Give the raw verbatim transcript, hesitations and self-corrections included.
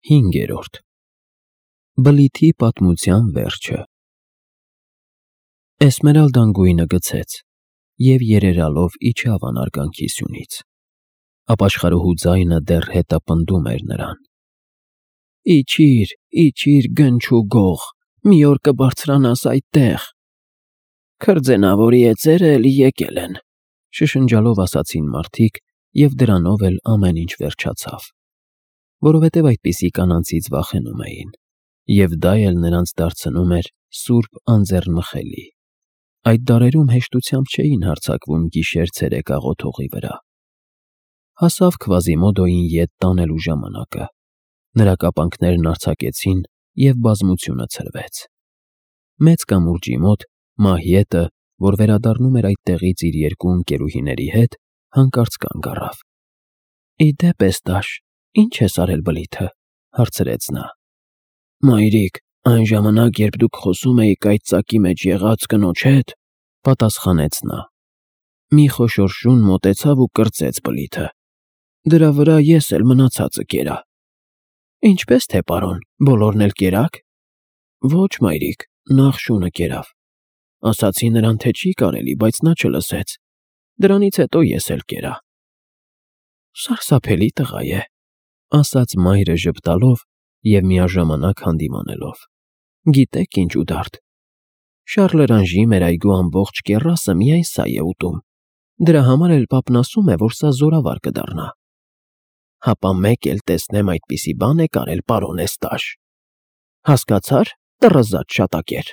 Հինգերորդ Բլիթի պատմության վերջը Էսմերալդան գույնը գցեց և երերալով իջավ անարգանքի սյունից, ապաշխարուհու ձայնը դեռ հետապնդում էր նրան. «Իջիր, իջիր, գնչուգող, մի օր կբարձրանաս այդտեղ»։ «Քրձենավորի էծերը էլի եկել են», շշնջալով ասացին մարդիկ, և դրանով էլ ամեն ինչ վերջացավ, որովհետև այդպիսի կանանցից վախենում էին, և դա էլ նրանց դարձնում էր սուրբ անձեռնմխելի. այդ դարերում հեշտությամբ չէին հարձակվում գիշեր֊ցերեկ աղոթողի վրա։ Հասավ Քվազիմոդոյին ետ տանելու ժամանակը, նրա կապանքներն արձակեցին, և բազմությունը ցրվեց։ Մեծ կամուրջի մոտ Մահիետը, որ վերադառնում էր այդտեղից իր երկու ընկերուհիների հետ, հանկարծ կանգ առավ։ ֊ Ի դեպ, Էստաշ, ի՞նչ ես արել բլիթը,֊ հարցրեց նա։ ֊ Մայրիկ, այն ժամանակ, երբ դուք խոսում էիք այդ ծակի մեջ եղած կնոջ հետ,֊ պատասխանեց նա,֊ մի խոշոր շուն մոտեցավ ու կրծեց բլիթը. դրա վրա ես էլ մնացածը կերա։ ֊ Ինչպե՞ս թե, պարոն, բոլորն էլ կերա՞ք։ ֊ Ոչ, մայրիկ, նախ շունը կերավ։ Ասացի նրան, թե չի կարելի, բայց նա չլսեց, դրանից հետո ես էլ կերա։ ֊ Սարսափելի տղա է,֊ ասաց մայրը ժպտալով և միաժամանակ հանդիմանելով,֊ գիտեք ինչ, Ուդարդ, Շառլըրանժի մեր այգու ամբողջ կեռասը միայն սա է ուտում, դրա համար էլ պապն ասում է, որ սա զորավար կդառնա։ ֊ Հապա մեկ էլ տեսնեմ այդպիսի բան եք արել, պարոն Էստաշ, հասկացա՞ր, տռզած շատակեր։